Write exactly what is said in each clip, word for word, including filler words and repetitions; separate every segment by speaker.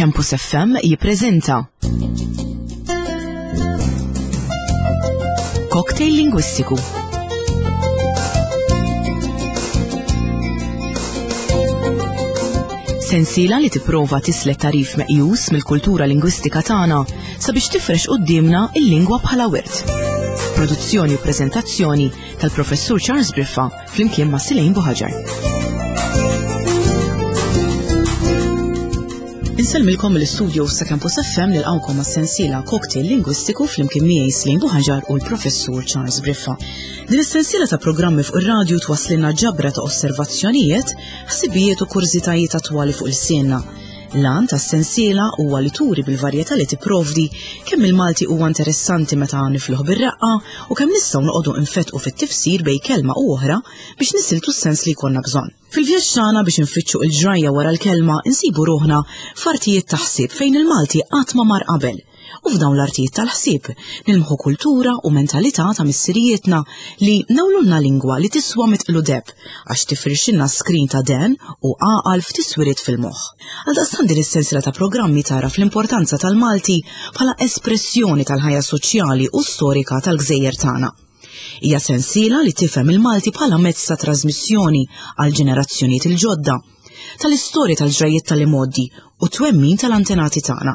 Speaker 1: Campus F M jippreżenta Cocktail Lingwistiku. Sensiela li tipprova tislet tarif meqjus mill-kultura lingwistika tagħna sabiex tifrex quddiemna il-lingwa bħala wirt. Produzzjoni u preżentazzjoni tal-Professur Charles Briffa flimkien ma' Silejn Buħaġar. Insellmilkom mill-istudio sa' Campus F M, nilqawkom għas-sensiela Cocktail Lingwistiku flimkien miegħi Silejn Buħaġar u l-Professur Charles Briffa. Din is-sensiela ta' programmi fuq ir-radju twasslilna ġabra ta' osservazzjonijiet, ħsibijiet u kurżitajiet attwali fuq il-sienna. L-għan tas-sensiela huwa li turi bil-varjetà li tipprovdi kemm il-Malti huwa interessanti meta nifluħ bir-raqqa u kemm nistgħu noqogħdu nfetqu fit-tifsir bejn kelma u oħra biex nisiltu s-sens li jkollna bżonn. Fil-vjaġġ tagħna biex infittxu il-ġrajja wara l-kelma, insibu ruħna f'artijiet ta' ħsieb fejn il-Malti qatt ma mar qabel. U f'dawn l-artijiet tal-ħsieb nilmħu kultura u mentalità ta' missirijietna li nawlulna lingwa li tiswa mitqlu deb għax tifrixilna skrin ta' den u għaqal f'tiswiriet fil-moħħ. Għaldaqstant din is-sensiela ta' programmi tara fl-importanza tal-Malti bħala espressjoni tal-ħajja soċjali u storika tal-gżejjer tagħna. Hija sensiela li tifhem il-Malti bħala mezz ta' trasmissjoni għal ġenerazzjonijiet il-ġodda, tal-istorja tal-ġrajiet tal-imoddi u twemmin tal-antenati tagħna.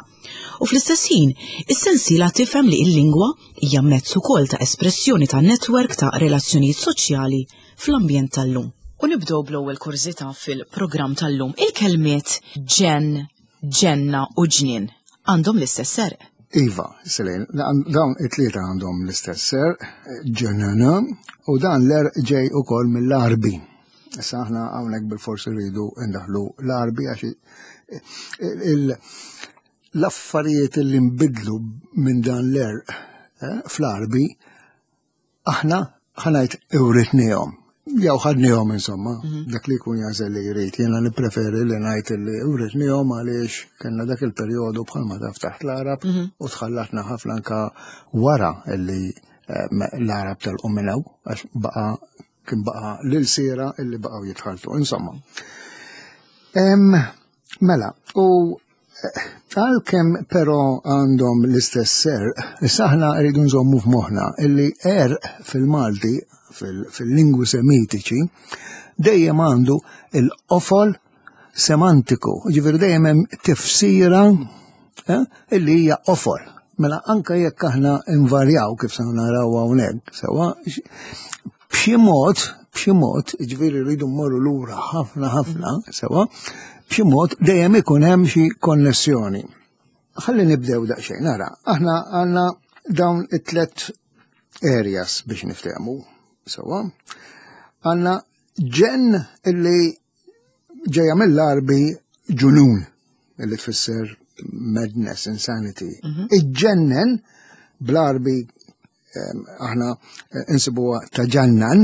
Speaker 1: U fl-istess ħin, is-sensiela tifhem li l-lingwa hija mezz ukoll ta' espressjoni ta' netwerk ta' relazzjonijiet soċjali fl-ambjent tal-lum. U nibdew bl-ewwel kurżità fil-programm tal-lum. Il-kelmiet ġen, ġenna u ġnien għandhom l-istess serq.
Speaker 2: Iva, Selene, dawn it-tlieta għandhom l-istess serq, ġenna, u dan l-għerq ġej ukoll mill-Arbi. Issa aħna hawnhekk bil-forsi rridu ndaħlu l-Arbi għax l-affarijiet li nbidlu minn dan l-għerq eh, fl-Arbi aħna ħa ngħid iwritnihom. Jew ħadnihom insomma, mhm. dak li jkun jagħżel li jrid. Jiena nippreferi li ngħid li writnihom għaliex kellna dak il-perjodu bħalma taf taħt l-Arab mhm. u tħallatna ħafna anka wara li eh, l-Arab telqu minn hawn għax baqa' kien baqa' l-ilsiera illi baqgħu jitħaltu. Insomma. Mela, u eh, għalkemm però għandhom l-istess għerq, issa aħna rridu nżommu f'moħħna illi għerq fil-Malti, fil-lingwi semitiċi, dejjem għandu il-qofol semantiku, ġifieri dejjem hemm tifsira eh, illi hija qofol. Mela anka jekk aħna invarjaw kif se naraw hawnhekk, sewa b'xi mod, b'xi mod, ġifieri rridu mmorru lura ħafna ħafna, sewa, b'xi mod dejjem ikun hemm xi konnessjoni. Ħalli nibdew daqsxejn, nara, aħna għandna dawn it-tlet areas biex niftehmu, sewa. Għandna ġen illi ġeja mill-Arbi ġunun, illi tfisser madness, insanity. Mhm. Iġġennen bl-Arbi aħna eh, insibuha taġannan,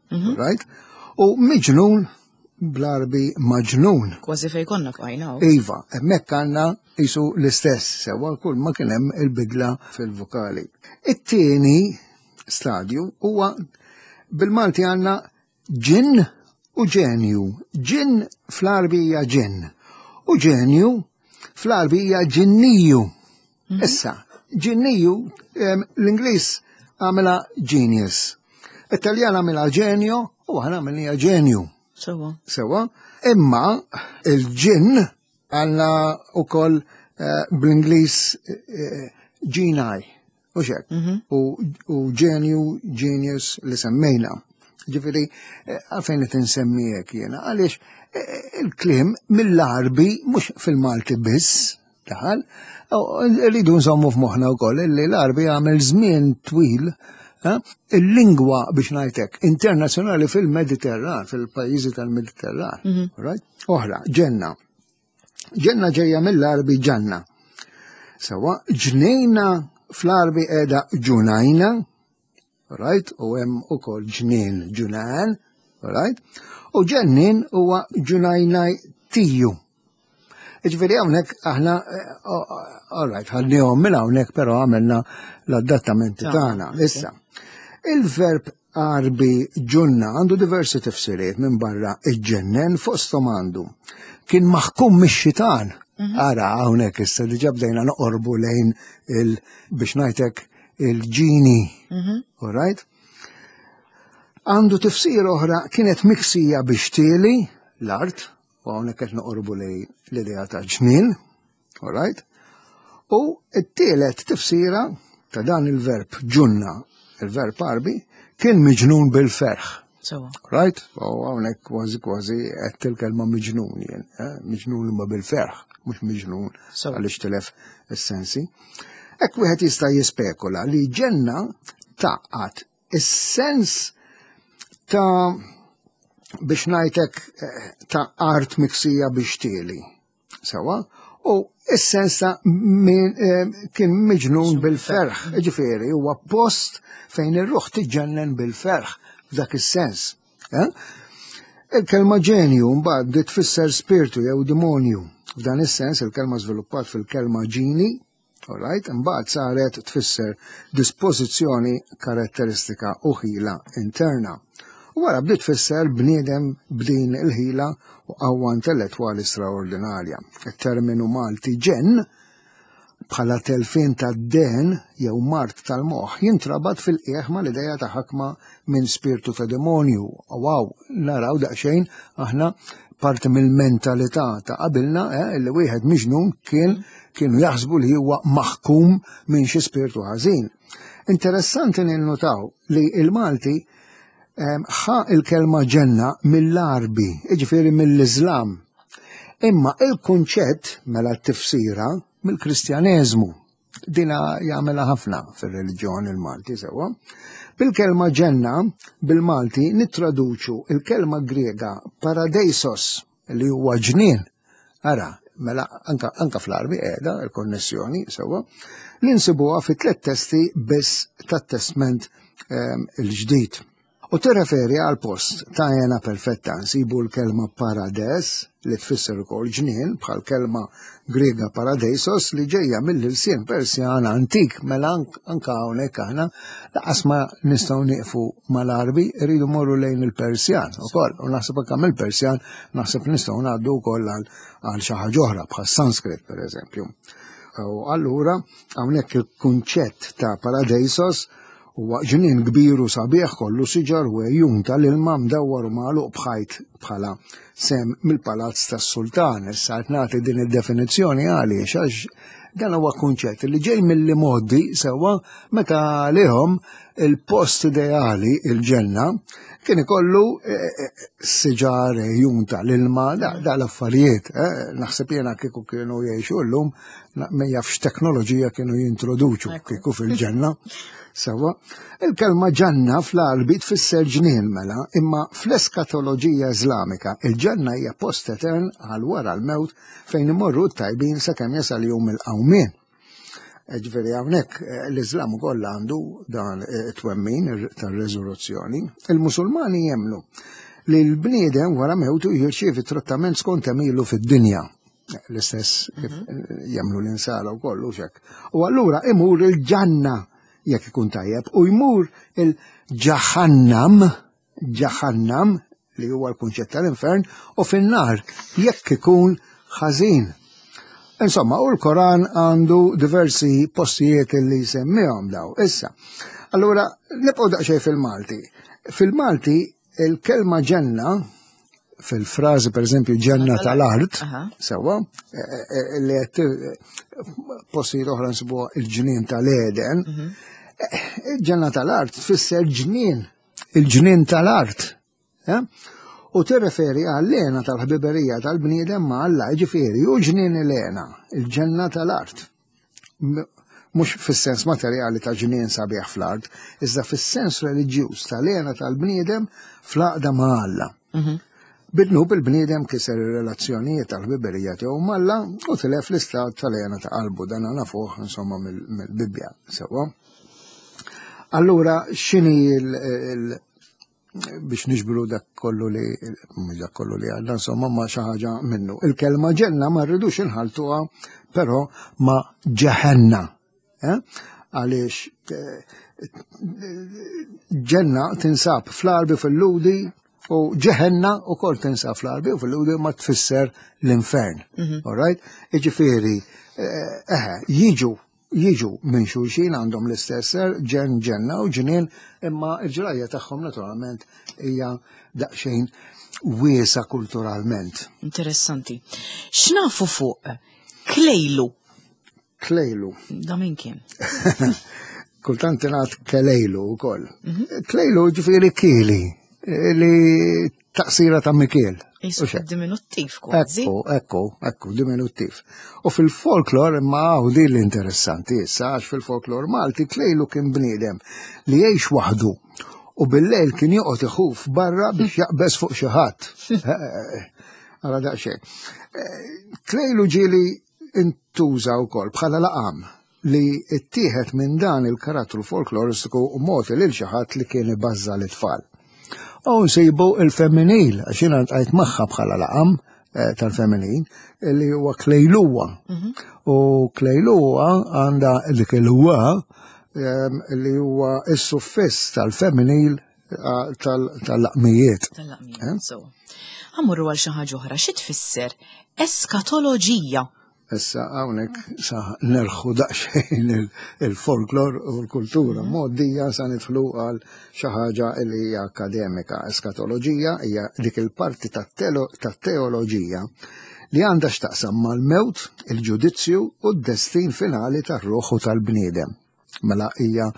Speaker 2: mhm. right? U miġnun bl-Arbi maġnun.
Speaker 1: Kważi fej konna bqajna.
Speaker 2: Iva, hemmhekk għandna jisu l-istess, sewa kull ma kien hemm il-bidla fil-vokali. It-tieni stadju huwa bil-Malti għandna ġin u ġenju. Ġin fl-Arbi hija ġin u ġenju fl-Arbi hija ġinniju. Mhm. Issa, ġinniju l-Ingliż għamela genius. It-Taljan għamela genio u aħna għamilniha ġenju.
Speaker 1: Sewa.
Speaker 2: Sewa. Imma il-ġin għandna u koll eh, bl-Ingliż eh, ġinaj. U xek. Mhm. U ġenju, genius li semmejna. Ġifieri, eh, għalfejn qed insemmi hekk jiena, għaliex il-kliem mill-Arbi mhux fil-Malti biss daħal, rridu nżommu f'moħħna wkoll illi l-Arbi għamel żmien twil il-lingwa biex ngħidlek internazzjonali fil-Mediterran, fil-pajjiżi tal-Mediterran. Mhm. Right? Oħra, ġenna. Ġenna ġejja mill-Arbi ġanna. Sewa, ġnejna fl-Arbi qiegħda ġunajna, right? U hemm ukoll ġnien ġunan, right? U ġennin huwa ġunajnaj tiju. Ġifieri hawnhekk aħna, all right, ħadnihom minn hawnhekk però għamilna l-adattamenti tagħna. Issa, il-verb Arbi ġunna għandu diversi tifsiriet minn barra iġġennen, fosthom għandu. Kien maħkum mix-xitan. Ara, hawnhekk issa diġà bdejna noqorbu lejn il biex ngħidlek il-ġini. All right? Għandu tifsir oħra, kienet miksija bix-xtieli l-art, u hawnhekk qed noqorbu lejn l-idea ta' ġnien, all right? U t-tielet tifsira ta' dan il-verb ġunna, il-verb Għarbi, kien miġnun bil-ferħ.
Speaker 1: Sewwa.
Speaker 2: Right? U hawnhekk kważi kważi qed il-kelma miġnun jien, eh? Miġnun imma bil-ferħ, mhux miġnun
Speaker 1: Sewwa.
Speaker 2: għaliex tilef is-sensi. Hekk wieħed jista' jispekula li ġenna taqgħat is-sens ta' biex ngħidlek eh, ta' art miksija bix-xtieli. Sewwa? U is-sens ta' min, eh, kien miġnun bil-ferħ, ġifieri huwa post fejn ir-ruħ tiġġennen bil-ferħ f'dak is-sens. Eh? Il-kelma ġenju mbagħad bdiet tfisser spiritu jew demonju. F'dan is-sens il-kelma żviluppat fil-kelma ġini, all right, imbagħad saret tfisser dispożizzjoni, karatteristika u ħila interna. U wara bdiet tfisser bniedem b'din il-ħila u qawwa intellettwali straordinarja. Il-terminu Malti ġenn bħala telfien ta' den jew mard tal-moħħ jintrabat fil-qieħ ma l-ideja ta' ħakma minn spiritu ta' demonju. Wow, naraw daqsxejn aħna parti mill-mentalità ta' qabilna eh, li wieħed miġnun kien kienu jaħsbu li huwa maħkum minn xi spiritu ħażin. Interessanti ninnutaw li il-Malti em, ħa il-kelma ġenna mill-Għarbi, jiġifieri mill-Iżlam. Imma il-kunċett mela t-tifsira mill-Kristjaneżmu. Dina jagħmilha ħafna fir-reliġjon il-Malti sewwa. Bil-kelma ġenna bil-Malti nittraduċu il-kelma Griega paradeisos, li huwa ġnien. Ara, mela anka, anka fl-Għarbi qiegħda il-konnessjoni sewwa li nsibuha fi tliet testi biss tat-Testment ehm, il-ġdid. U tirreferi għal post ta' hena perfetta. Nsibu l-kelma parades li tfisser ukoll ġnien, bħal kelma Griega paradeisos li ġejja mill-ilsien Persjan antik. Mela ank- anka hawnhekk aħna laqas ma nistgħu nieqfu mal-Għarbi, rridu morru lejn il-Persjan ukoll. U naħseb anke mill-Persjan naħseb nistgħu ngħaddu wkoll għal għal xi ħaġa oħra bħal Sanskrit, pereżempju. U allura hawnhekk il-kunċett ta' paradeisos huwa ġnien kbir u sabiħ, kollu siġar u għejun tal-ilma, mdawwar u magħluq b'ħajt bħala sehem mill-palazz tas-sultan. Issa qed nagħti din id-definizzjoni għaliex għax dan huwa kunċett li ġej mill-modi sewwa, meta lihom il-post ideali, il-ġenna, kien ikollu eh, eh, siġar, għejun tal-ilma, da, da l-affarijiet. eh, Naħseb jiena kieku kienu jgħixu llum, ma jafx teknoloġija kienu jintroduċu kieku fil-ġenna. Sewwa, il-kelma ġanna fl-Għarbi tfisser ġnien mela, imma fl-eskatoloġija Iżlamika il-ġenna hija post etern għal wara l-mewt fejn imorru t-tajbin sakemm jasal jum il-qawmien. Ġifieri hawnhekk eh, l-Iżlam ukoll għandu dan eh, it-twemmin tar-reżurruzzjoni. Il-Musulmani jemmnu li l-bniedem wara mewtu jirċievi trattament skont għemilu fid-dinja. L-istess kif jemmnu l-insara u kollu xek. U allura imur il-ġanna jekk ikun tajjeb u jmur il-ġahannam, ġahannam li huwa l-kunċett tal-infern, u fin-nar jekk ikun ħażin. Insomma, u l-Koran għandu diversi postijiet li jsemmihom daw. Issa, allura nibqgħu daqsxejn fil-Malti. Fil-Malti il-kelma ġenna fil-frażi, per eżempju, ġenna tal-art,
Speaker 1: Aha.
Speaker 2: sewwa, eh, eh, li qed postijiet oħra nsibuha il-ġnien tal-Eden, eh, il-ġenna tal-art tfisser ġnien, il-ġnien tal-art. eh? U tirreferi għall-hena tal-ħbiberija tal-bniedem ma' Alla, ġifieri, u ġnien il-hena, il-ġenna tal-art. M- Mhux fis-sens materjali ta' ġnien sabiħ fl-art, iżda fis-sens reliġjuż tal-hena tal-bniedem fl-għaqda ma' Alla. Bid-dnub il-bniedem kiser ir-relazzjonijiet tal-ħbiberija tiegħu m'Alla u tilef l-istat tal-hena ta' qalbu. Dan nafuh insomma mill- mill-Bibbja sewwa. Allura x'inhi il- il- biex niġbru dak kollu li, mhux dak kollu li għadna, insomma, ma xi ħaġa minnu. Il-kelma ġenna ma rridux inħaltuha però ma' ġeħenna. Eh? Għaliex eh, ġenna tinsab fl-Għarbi, fil-Lhudi U ġeħenna u kol tinsab fl-Għarbi u fil-Lhudi ma tfisser l-infern. All right? Iġifieri, eħe, jiġu jiġu minn xulxin, għandhom l-istess ġen, ġenna u ġnien, imma il-ġrajja tagħhom naturalment hija daqsxejn wiesa kulturalment.
Speaker 1: Interessanti. X'nafu fuq Klejlu?
Speaker 2: Klejlu.
Speaker 1: Da min kien?
Speaker 2: Kultant tingħad Kelejlu wkoll. Klejlu ġifieri Kili, li taqsira ta' Mikiel.
Speaker 1: Isu diminuttiv kważi.
Speaker 2: Ekku, ekku, ekku, diminuttiv. U fil-folklor, imma hawn din l-interessanti issa, għax fil-folklor Malti Klejlu kien bniedem li jgħix waħdu u bil-lejl kien joqgħod iħuf barra biex jaqbeż fuq xi ħadd. Ara daqsxejn. Klejlu ġieli intuża wkoll bħala laqam li ttieħed minn dan il-karattru folkloristiku u mogħti lil xi ħadd li kien ibażża l-itfal. U nsibu il-femminil, għax jiena ltqajt magħha bħala laqam tal-feminin, li huwa Klejluwa. U Klejluwa għandha dik il-wa li huwa s-suffiss tal-femminil tal-laqmijiet.
Speaker 1: Tal-laqmijiet, so. Ħa mmorru għal xi ħaġa oħra, xi tfisser eskatoloġija?
Speaker 2: Issa hawnhekk sa nerħu daqsxejn il-folklor u l-kultura mgħoddija, sa nidħlu għal xi ħaġa li hija akademika. Eskatoloġija hija dik il-parti tat-teoloġija li għandha x'taqsam mal-mewt, il-ġudizzju u d-destin finali tar-ruħ u tal-bniedem. Mela hija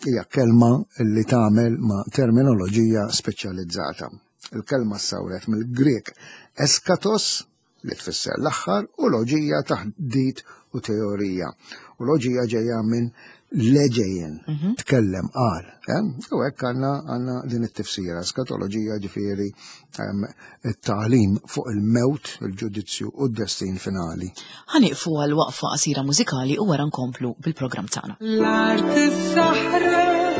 Speaker 2: hija kelma li tagħmel ma' terminoloġija speċjalizzata. Il-kelma ssawret mill-Grek eskatos, li tfisser l-aħħar, u loġija taħdit u teorija. U loġija ġejja minn leġejjen, tkellem, qal. U hekk għandna għandna din it-tifsira. Eskatoloġija ġifieri it-tagħlim fuq il-mewt, il-ġudizzju u d-destin finali.
Speaker 1: Ħa nieqfu għal waqfa qasira mużikali u wara nkomplu bil-programm tagħna.
Speaker 3: L-art issaħrek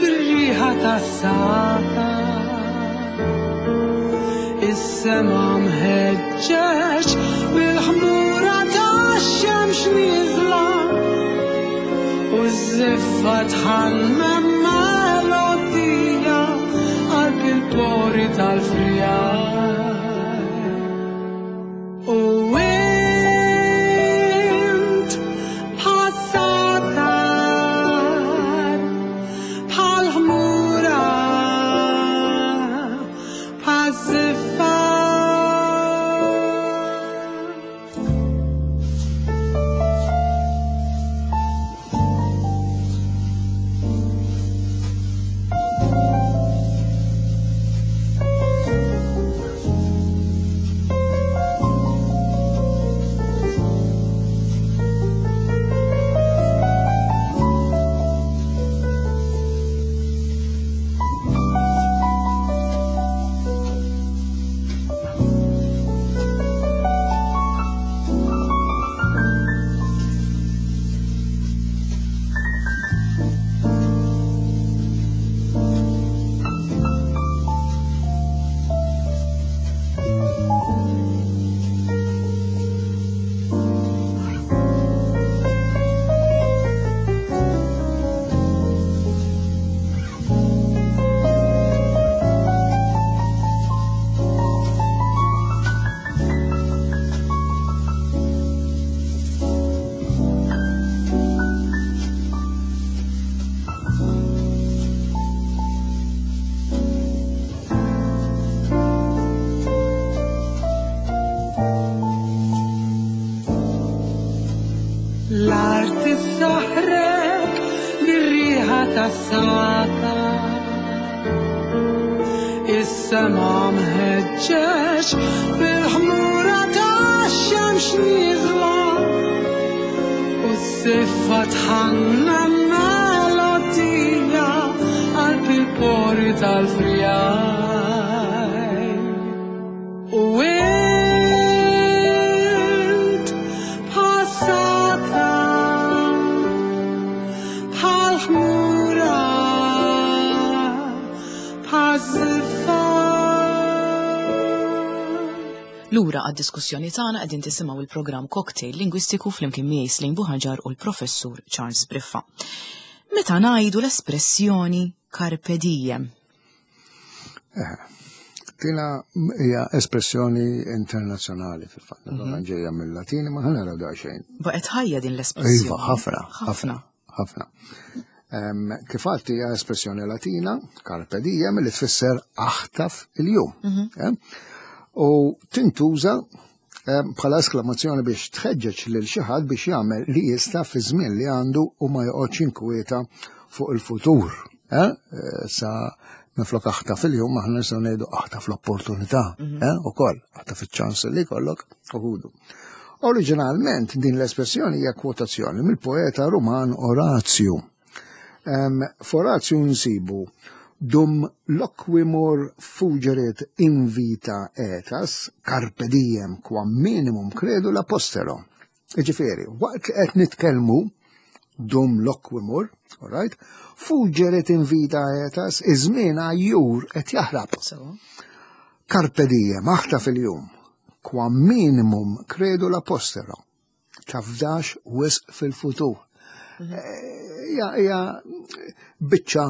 Speaker 3: bir-riħa tas-sata, is-sema mħeġġeġ bil-ħmura tax-xemx nieżla, u ż-żiffa tħammem melodija qalb il-pori tal-frijaj. U int bħas-satar, bħal-ħmura, bħaż-żiffa. L-art issaħrek bir-riħa tas-sata, is-sema mħeġġeġ bil-ħmura tax-xemx nieżla, u s-siffa tħanna melodija qalb il-pori tal-frijaj. U int bħas-satar, bħal-ħmura, bħaż-żiffa.
Speaker 1: Lura għad-diskussjoni tagħna, qegħdin tisimgħu il-programm Cocktail Lingwistiku flimkien miegħi Celine Buhagiar u l-Professur Charles Briffa. Meta ngħidu l-espressjoni carpe diem?
Speaker 2: Tina hija espressjoni internazzjonali fil-fatt, naturalment ġejja mill-Latin, ma ħa naraw daqsxejn.
Speaker 1: Baqgħet ħajja din l-espressjoni.
Speaker 2: Iva, ħafna, ħafna, ħafna. Em, Kif għedt, hija espressjoni Latina, "carpe diem", li tfisser aħtaf il-jum. Eh? U tintuża em, bħala esklamazzjoni biex tħeġġeġ lil xi ħadd biex jagħmel li jista' fi żmien li għandu u ma joqgħodx inkwieta fuq il-futur. Eh? Eh, Sa minflok aħtaf il-jum, aħna nistgħu ngħidu aħtaf l-opportunità, eh? Ukoll aħtaf iċ-ċans li jkollok u ħudu. Oriġinalment din l-espressjoni hija kwotazzjoni mill-poeta Ruman Orazju. Um, F'Orazju nsibu "dum loquimur fugerit invita aetas, carpe diem quam minimum credula postero". Ġifieri, waqt li qed nitkellmu, "dum loquimur", all right, "fugerit invita aetas", iż-żmien għajjur qed jaħrab.
Speaker 1: So,
Speaker 2: "Carpe diem", aħtaf il-jum, "quam minimum credula postero". Tafdax wisq fil-futur. Hija hija biċċa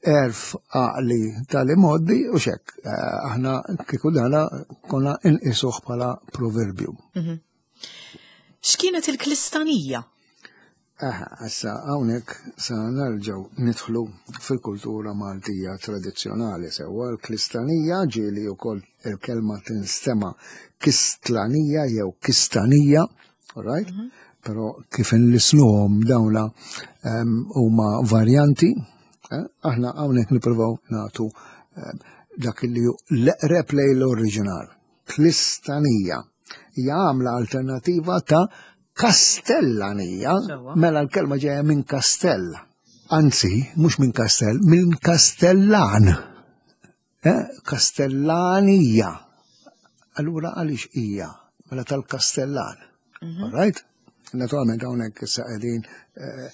Speaker 2: għerf għaqli tal-imgħoddi u xek. Eh, Aħna kieku dana konna inqisuh bħala proverbju.
Speaker 1: X'kienet il-klistanija?
Speaker 2: Aha, issa hawnhekk sa nerġgħu nidħlu fil-kultura Maltija tradizzjonali, sewwa. L-klistanija, ġieli wkoll il-kelma tinstema kistlanija jew kistanija, all right? Però kif inlisnuhom dawna em, huma varjanti, eh? Aħna hawnhekk nippruvaw nagħtu em, dak li hu l-eqreb lejn l-oriġinal. Klistanija hija għamla alternativa ta' kastellanija,
Speaker 1: Sewwa.
Speaker 2: mela l-kelma ġejja minn kastell. Anzi, mhux minn kastell, minn kastellan. Eh? Kastellanija. Allura għaliex hija? Mela tal-kastellan. All right? Naturalment hawnhekk issa qegħdin eh,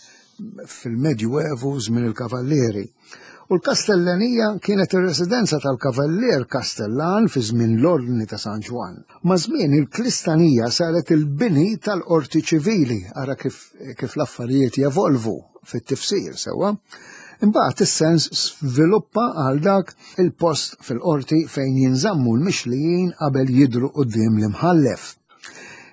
Speaker 2: fil-Medjuevu, żmien il-Kavallieri. U l-Kastellanija kienet ir-residenza tal-Kavallier Kastellan fi żmien l-Ordni ta' San Ġwann. Ma' żmien il-Klistanija saret il-bini tal-qorti ċivili, ara kif, kif l-affarijiet jevolvu fit-tifsir, sewwa. Imbagħad is-sens sviluppa għal dak il-post fil-qorti fejn jinżammu l-mixlijin qabel jidru quddiem l-imħallef.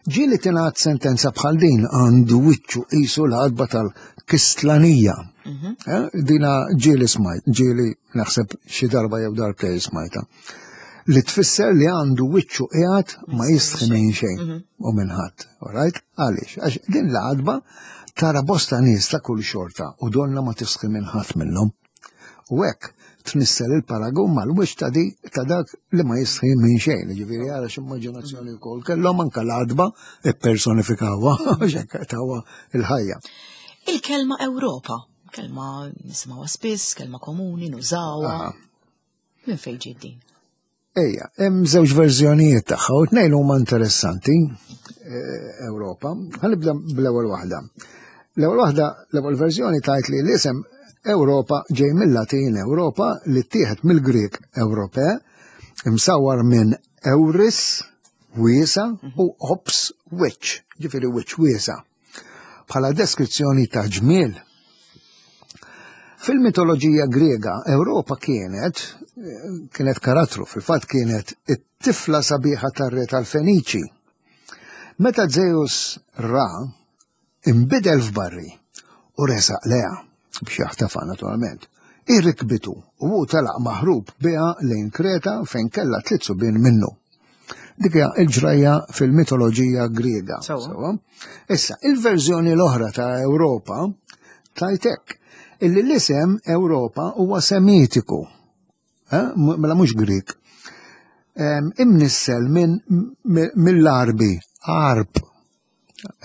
Speaker 2: Ġieli tingħad sentenza bħal din: "Għandu wiċċu qisu l-għatba tal-Kistlanija". Eh, Dina ġieli smajt, ġieli naħseb xi darba jew darbtejn smajta. Li tfisser li għandu wiċċu qiegħed ma jistħi minn xejn u minn ħadd. All right? Għaliex? Għax din l-għatba tara bosta nies ta' kull xorta u donna ma tistħi minn ħadd minnhom. U hekk tnissel il-paragun mal-wiċċ ta' di ta' dak li ma jistħi minn xejn. Ġifieri ara x'immaġinazzjoni wkoll kellhom, anke l-għatba ippersonifikawha x'hekk tawha il-ħajja.
Speaker 1: Il-kelma Ewropa, kelma nisimgħuha spiss, kelma komuni, nużawha.
Speaker 2: Aha.
Speaker 1: Minn fejn ġiet din?
Speaker 2: Ejja, hemm żewġ verżjonijiet tagħha u tnejn huma interessanti, eh, Ewropa. Ħa nibda bl-ewwel waħda. L-ewwel waħda, l-ewwel verżjoni tgħid li l-isem Ewropa ġej mill-Latin Europa li ttieħed mill-Grek Ewrope, imsawar minn euris, wiesa, u ops, wiċċ, ġifieri wiċċ wiesa. Bħala deskrizzjoni ta' ġmiel. Fil-mitoloġija Grega, Ewropa kienet kienet karattru, fil-fatt kienet it-tifla sabiħa tar-re tal-Feniċi. Meta Zeus ra, imbidel f'barri u resaq leha biex jaħtafa naturalment. Irrikbitu u hu telaq maħrub biha lejn Kreta fejn kellha tliet subien minnu. Dik hija il-ġrajja fil-mitoloġija Griega.
Speaker 1: Sewwa.
Speaker 2: Sewwa. Issa, il-verżjoni l-oħra ta' Ewropa tgħid illi l-isem Ewropa huwa Semitiku. Eh? M- Mela mhux Grieg. Em, Imnissel minn mi- mill-Arbi, Arb.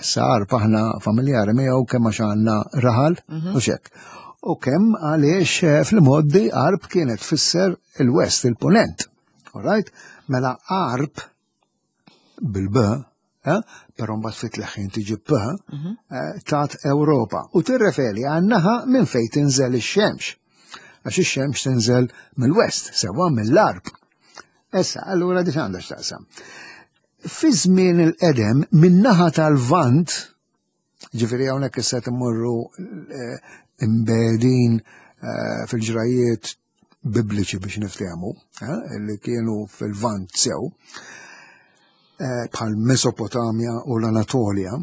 Speaker 2: Issa Arb aħna familjari miegħu kemm għax għandna raħal u xek. U kemm għaliex eh, fl-imgħoddi Arb kienet tfisser il-West, il-Punent. All right? Mela Arb bil-B, eh? Però mbagħad fit-leħin tiġi P, eh, tat Ewropa. U tirreferi għan-naħa minn fejn tinżel ix-xemx. Għax ix-xemx tinżel mill-West, sewwa, mill-Arb. Issa, allura di għandha x'taqsam. Fi żmien il-qedem, min-naħa tal-Lvant, ġifieri hawnhekk issa timmorru eh, imbedin eh, fil-ġrajiet bibliċi biex niftehmu, eh, li kienu fil-Lvant sew, eh, bħal Mesopotamja u l-Anatolja,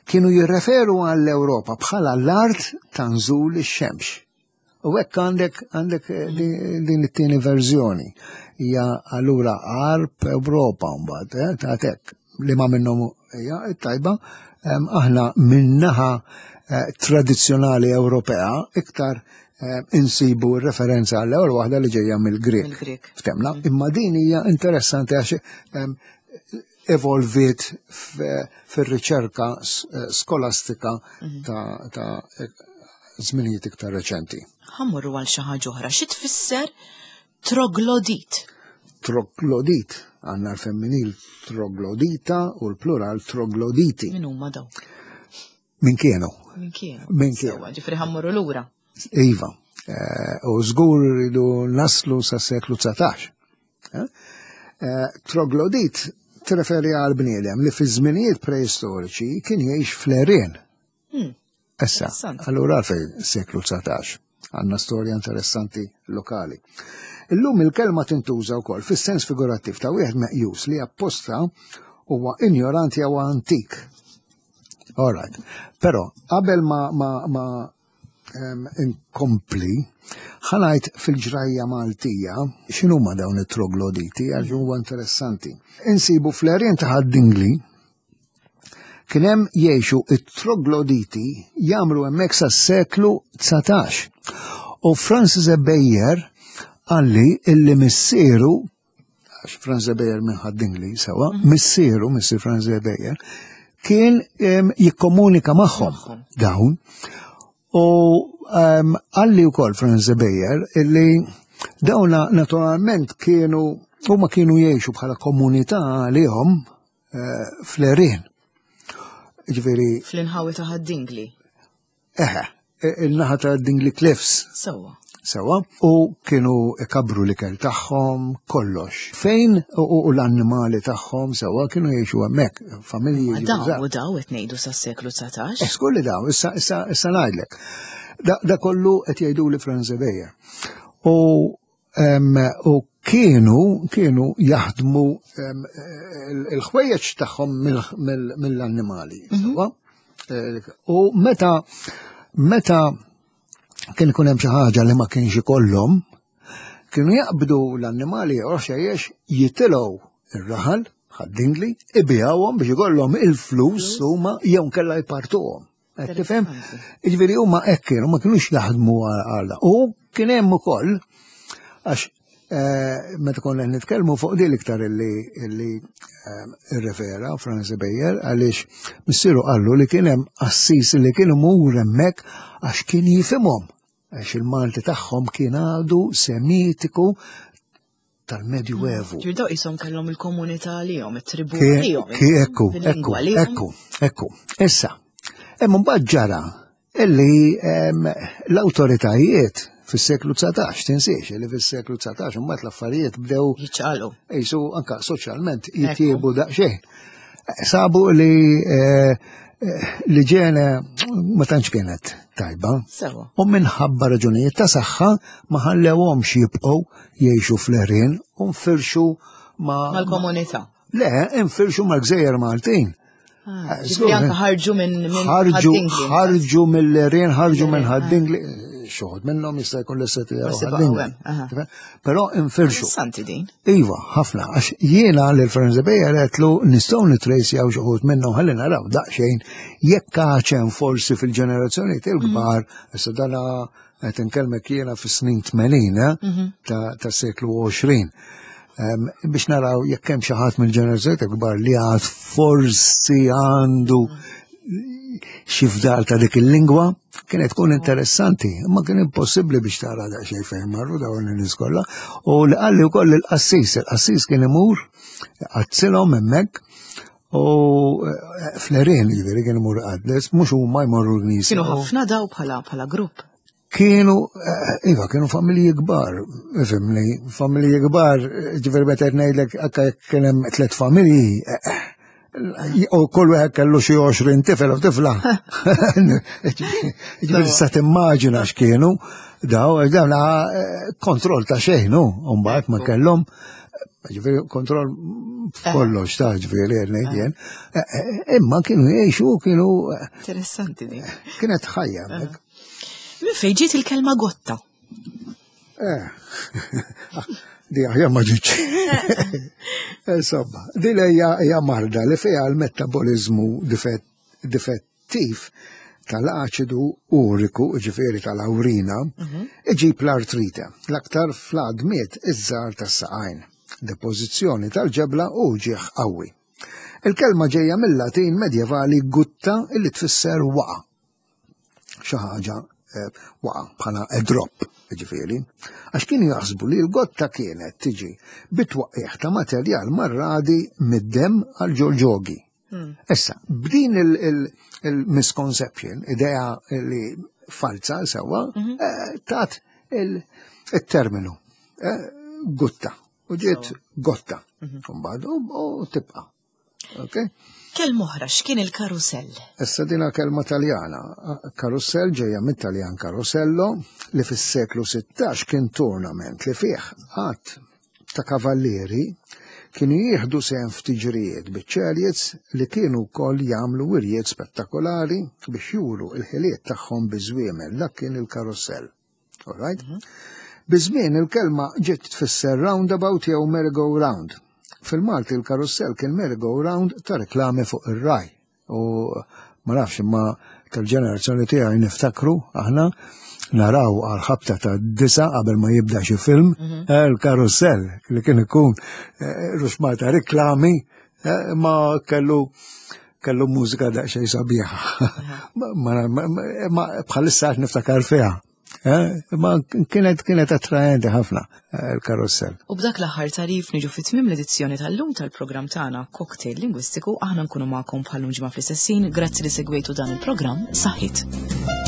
Speaker 2: kienu jirreferu għall-Ewropa bħala l-art ta' nżul ix-xemx. U hekk għandek għandek eh, din din it-tieni verżjoni. Hija allura Għarb Ewropa mbagħad, eh, ta' hekk li ma minnhom hija tajba, em, aħna min-naħa eh, tradizzjonali Ewropea iktar eh, insibu referenza għall-ewwel waħda li ġejja mill-Grek.
Speaker 1: Mill-Grek.
Speaker 2: Ftemna, imma din hija interessanti għax em, evolviet f- fir-riċerka s- eh, skolastika ta' ta' żminijiet iktar reċenti.
Speaker 1: Ħa mmorru għal xi ħaġa oħra. Xi tfisser troglodit?
Speaker 2: Troglodit, għandna l-femminil troglodita u l-plural trogloditi.
Speaker 1: Min huma dawk?
Speaker 2: Min kienu?
Speaker 1: Min kienu?
Speaker 2: Min kienu?
Speaker 1: Sewwa, ġifieri ħa mmorru lura.
Speaker 2: Iva. Eh, U żgur rridu naslu sa seklu dsatax. Eh? Eh, Troglodit tirreferi għal bniedem li fi żminijiet preistoriċi kien jgħix fl-għerien.
Speaker 1: Hmm.
Speaker 2: Issa,
Speaker 1: Interessanti.
Speaker 2: allura għalfejn seklu dsatax. Għandna storja interessanti lokali. Illum il-kelma tintuża wkoll fis-sens figurattiv ta' wieħed meqjus li apposta huwa ignoranti jew antik. All right. Però qabel ma ma ma em, inkompli, ħa ngħid fil-ġrajja Maltija x'inhuma dawn it-trogloditi għax huwa interessanti. Insibu fl-għerien ta' Ħad-Dingli kien hemm jgħixu it-trogloditi jagħmlu hemmhekk sas-seklu dsatax. U Francis Ebejer qalli illi missieru għax Francis Ebejer minn Ħad-Dingli sewa, missieru, missier Francis Ebejer, kien em, jikkomunika magħhom
Speaker 1: Magħhom.
Speaker 2: dawn. U um, qalli wkoll Francis Ebejer illi dawna naturalment kienu huma kienu jgħixu bħala komunità għalihom uh, fl-għerien. Ġifieri,
Speaker 1: Fl-inħawi ta' Ħad-Dingli.
Speaker 2: eħe, il-naħa ta' Dingli Cliffs,
Speaker 1: Sewwa.
Speaker 2: sewa, u kienu ikabru l-ikel tagħhom kollox. Fejn u, u l-annimali tagħhom sewa kienu jgħixu hemmhekk, familji.
Speaker 1: Ma
Speaker 2: ġifieri
Speaker 1: daw
Speaker 2: żgħar.
Speaker 1: u daw qed ngħidu sas-seklu dsatax.
Speaker 2: Eskur li daw, issa, issa, issa ngħidlek. Da, da kollu qed jgħidu li Franz Bejer. U, em, u kienu, kienu jaħdmu em, il- il-ħwejjeġ tagħhom mill- mill- mill-annimali. Sewa? Eh, U meta meta kien ikun hemm xi ħaġa li ma kienx ikollhom, kienu jaqbdu l-annimali jew xejjex jitilgħu ir-raħal Ħad-Dingli, ibigħuhom biex ikollhom il-flus huma jew nkella jpartuhom. Qed tifhem?
Speaker 1: Interessanti.
Speaker 2: Jiġifieri huma hekk kienu ma kinux jaħdmu għal U kien hemm ukoll għax eh, meta konna qed nitkellmu fuq din l-iktar illi illi eh, irrefera Franz Bejer għaliex missieru qallu li kien hemm qassis li kien imur hemmhekk għax kien jifhimhom għax il-Malti tagħhom kien għadu semitiku tal-Medjuevu.
Speaker 1: Ġifieri daw qishom kellhom il-komunità għalihom, it-tribu
Speaker 2: Ki-
Speaker 1: għalihom.
Speaker 2: ki- Ekku, ekku,
Speaker 1: bil-lingwa għalihom.
Speaker 2: ekku, ekku. Issa, hemm mbagħad ġara illi em, l-awtoritajiet fis-seklu dsatax, tinsiex li fis-seklu dsatax imbagħad l-affarijiet bdew
Speaker 1: Jiċċaqalqu.
Speaker 2: jisu anka soċjalment jitjiebu daqsxejn. Sabu li eh, eh, l-iġene ma tantx kienet tajba.
Speaker 1: Sewa.
Speaker 2: U minħabba raġunijiet ta' saħħa ma ħallewhomx jibqgħu jgħixu fl-għerien u nfirxu ma'
Speaker 1: Mal-komunità.
Speaker 2: Le, infirxu mal-gżejjer Maltin.
Speaker 1: Ah,
Speaker 2: Eh,
Speaker 1: Ġifieri anke ħarġu minn minn
Speaker 2: ħarġu
Speaker 1: Ħad-Dingli.
Speaker 2: ħarġu mill-għerien, ħarġu minn Ħad-Dingli, xi wħud minnhom jista' jkun l-istess
Speaker 1: Forsi baqgħu
Speaker 2: Ħad-Dingli.
Speaker 1: hemm, aha.
Speaker 2: Però infirxu.
Speaker 1: Interessanti din.
Speaker 2: Iva, ħafna, għax jiena lil Franz Bejer għedtlu nistgħu nitrejsjaw xi wħud minnhom ħalli naraw daqsxejn jekk għaxem forsi fil-ġenerazzjoni il-kbar, issa dana qed inkellmek jiena fis-snin tmenin eh, ta' ta' seklu għoxrin. Em, biex naraw jekk hemm xi ħadd mill-ġenerazzjoni kbar li għad forsi għandu xi fdal ta' dik il-lingwa, kienet tkun interessanti, imma kien impossibbli biex tara daqsxejn fejn marru dawn in-nies kollha. U li qalli wkoll il-qassis, il-qassis kien imur qaddsilhom hemmhekk u eh, fl-għerien jiġifieri kien imur qaddes, mhux huma jmorru l-knisja.
Speaker 1: Kienu ħafna daw bħala bħala grupp.
Speaker 2: Kienu, eh, iva, kienu familji kbar, fimni, familji kbar, ġifieri meta qed ngħidlek anke jekk kien hemm tliet familji, eh, u kull wieħed kellu xi għoxrin tifel u tifla. Ġifieri sa timmaġina x'kienu, Daw, dawn eh, kontroll ta' xejn, no? Mbagħad ma kellhom, ġifieri, kontroll f'kollox ta' ġifieri ngħid jien. Eh, eh, Imma kienu jgħixu, kienu
Speaker 1: Interessanti di.
Speaker 2: Kienet ħajja hemmhekk.
Speaker 1: Min fejn ġiet il-kelma gotta?
Speaker 2: Eh, di aħjar ma ġietx. Insomma, di hija hija marda li fiha l-metabolizmu difett- difettiv tal-aċidu uriku, ġifieri tal-awrina, iġib l-artrite, l-aktar fl-għadmiet iż-żgħar tas-saqajn, depożizzjoni tal-ġebla u ġieħ qawwi. Il-kelma ġejja mill-Latin medjevali gutta, illi tfisser waqa. Xi ħaġa eh, waqa bħala a drop, ġifieri. Għax kienu jaħsbu li l-gotta kienet tiġi bit-twaqqieħ ta' materjal marradi mid-dem għal ġol-ġogi. Issa, b'din il-misconception, idea li falsa sewa, eh, tat il-terminu eh, gutta. U ġiet gotta. Mbagħad u u tibqa'. Ok?
Speaker 1: Kelma oħra, x'kien il-karusell?
Speaker 2: Issa dina kelma Taljana. Karusell ġejja mit-Taljan carosello, li fis-seklu sittax kien tournament li fih għadd ta' kavallieri kienu jieħdu sehem f'tiġrijiet biċ-chariots li kienu wkoll jagħmlu wirjiet spettakolari biex juru il-ħiliet tagħhom biż-żwiemel. Dak kien il-karussell. All right? Biż-żmien il-kelma ġiet tfisser roundabout jew merry-go-round. Fil-Malti il-karussell kien merry-go-round ta' reklami fuq ir-RAI. U ma nafx, imma tal-ġenerazzjoni tiegħi niftakru aħna naraw għal ħabta ta' disa qabel ma jibda xi film eh, il-karussell li kien ikun eh, ruxmata reklami, eh, ma kellu kellu mużika daqsxejn sabiħa. Ma- ma- ma- Ma bħalissa għax niftakar fiha. Eh, Ma kienet kienet attraenti ħafna eh, il-karussell.
Speaker 1: U b'dak l-aħħar tagħrif niġu fi tmiem l-edizzjoni tal-lum tal-programm tagħna Cocktail Lingwistiku. Aħna nkunu magħkom bħal-lum ġimgħa fl-istess ħin. Grazzi li segwejtu dan il-programm. Saħħit.